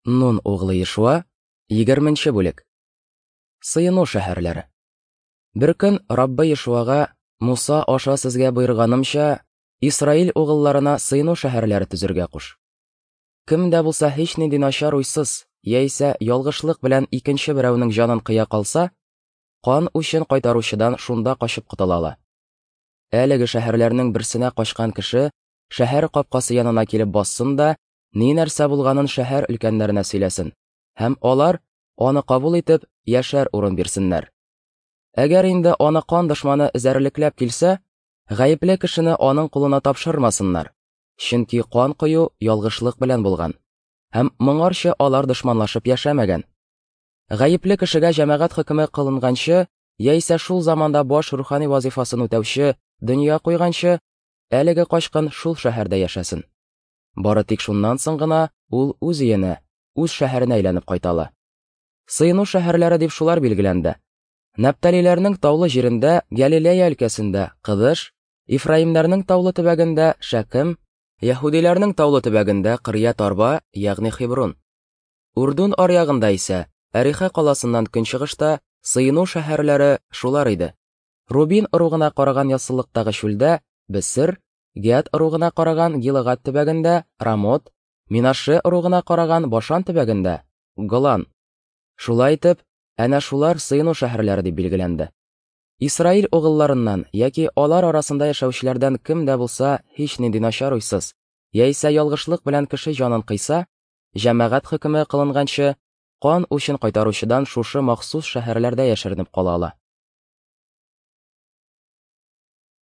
Нун углы Ешуа, 20 бүлек. Сыену шәһәрләре. Беркөн Раббы Ешуага, Муса аша сезгә боерганымча, Исраил угылларына сыену шәһәрләре төзергә куш. Кем дә булса һичнинди начар уйсыз, яисә ялгышлык белән икенче берәүнең җанын кыя калса, кан үчен кайтаручыдан шунда качып котыла ала. Әлеге шәһәрләрнең берсенә качкан кеше шәһәр капкасы янына килеп бассын да, ни нәрсә булганын шәһәр өлкәннәренә сөйләсен, һәм алар, аны кабул итеп, яшәр урын бирсеннәр. Әгәр инде аны кан дошманы эзәрлекләп килсә, гаепле кешене аның кулына тапшырмасыннар, чөнки кан кою ялгышлык белән булган, һәм моңарчы алар дошманлашып яшәмәгән. Гаепле кешегә җәмәгать хөкеме кылынганчы, яисә шул заманда баш рухани вазифасын үтәүче дөнья куйганчы, әлеге качкын шул шәһәрдә яшәсен. Бары тик шуннан соң гына ул үз өенә, үз шәһәренә әйләнеп кайта ала. Сыену шәһәрләре дип шулар билгеләнде. Нәпталиләрнең таулы җирендә, Галилея өлкәсендә Кыдыш, Ифраимнәрнең таулы төбәгендә Шәкем, яһүдиләрнең таулы төбәгендә Кырьят-Арба, ягъни Хеброн. Урдун аръягында исә, Әриха каласыннан көнчыгышта сыену шәһәрләре шулар иде. Рубин ыругына караган яссылыктагы чүлдә Бесер, Гәд ыругына караган Гилагад төбәгендә Рамот, Минаше ыругына караган Башан төбәгендә Голан. Шулай итеп, әнә шулар сыену шәһәрләре дип билгеләнде. Исраил угылларыннан яки алар арасында яшәүчеләрдән кем дә булса һичнинди начар уйсыз, яисә ялгышлык белән кеше җанын кыйса, җәмәгать хөкеме кылынганчы, кан үчен кайтаручыдан шушы махсус шәһәрләрдә яшеренеп кала ала.